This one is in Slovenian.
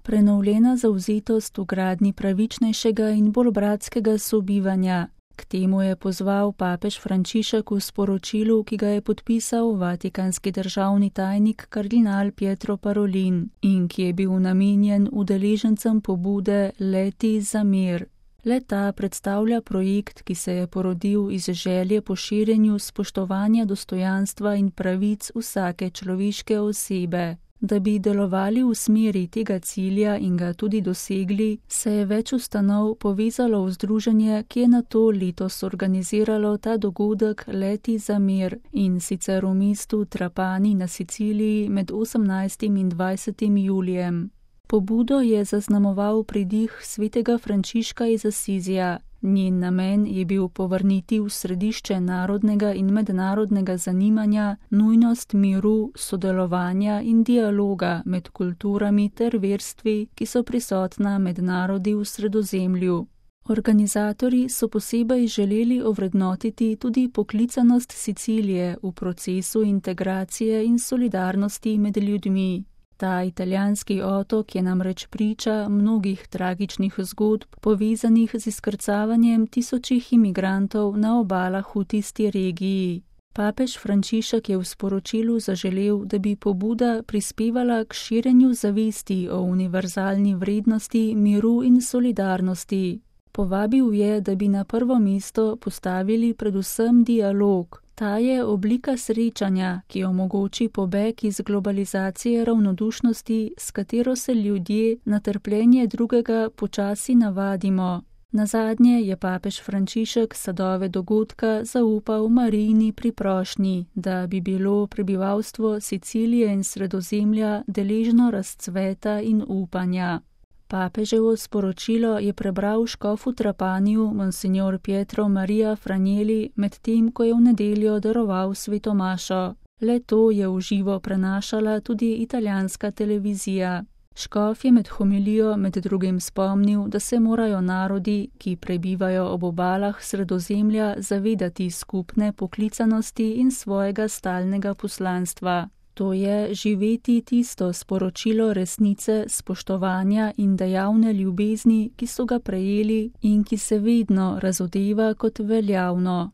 prenovljena zavzetost v gradnji pravičnejšega in bolj bratskega sobivanja. K temu je pozval papež Frančišek v sporočilu, ki ga je podpisal vatikanski državni tajnik kardinal Pietro Parolin in ki je bil namenjen udeležencem pobude Leti za mir. Le-ta predstavlja projekt, ki se je porodil iz želje po širjenju spoštovanja dostojanstva in pravic vsake človeške osebe. Da bi delovali v smeri tega cilja in ga tudi dosegli, se je več ustanov povezalo v združenje, ki je nato letos organiziralo ta dogodek Leti za mir in sicer v mestu Trapani na Siciliji med 18. in 20. julijem. Pobudo je zaznamoval pridih svetega Frančiška iz Asizija. Njen namen je bil povrniti v središče narodnega in mednarodnega zanimanja nujnost miru, sodelovanja in dialoga med kulturami ter verstvi, ki so prisotna med narodi v Sredozemlju. Organizatorji so posebej želeli ovrednotiti tudi poklicanost Sicilije v procesu integracije in solidarnosti med ljudmi. Ta italijanski otok je namreč priča mnogih tragičnih zgodb, povezanih z izkrcavanjem tisočih imigrantov na obalah v tisti regiji. Papež Frančišek je v sporočilu zaželel, da bi pobuda prispevala k širjenju zavesti o univerzalni vrednosti miru in solidarnosti. Povabil je, da bi na prvo mesto postavili predvsem dialog. Ta je oblika srečanja, ki omogoči pobeg iz globalizacije ravnodušnosti, s katero se ljudje na trpljenje drugega počasi navadimo. Nazadnje je papež Frančišek sadove dogodka zaupal Marijini priprošnji, da bi bilo prebivalstvo Sicilije in Sredozemlja deležno razcveta in upanja. Papeževo sporočilo je prebral škof v Trapaniju monsignor Pietro Maria Franjeli, medtem ko je v nedeljo daroval svetomašo. Le to je v živo prenašala tudi italijanska televizija. Škof je med homilijo med drugim spomnil, da se morajo narodi, ki prebivajo ob obalah Sredozemlja, zavedati skupne poklicanosti in svojega stalnega poslanstva. To je živeti tisto sporočilo resnice, spoštovanja in dejavne ljubezni, ki so ga prejeli in ki se vedno razodeva kot veljavno.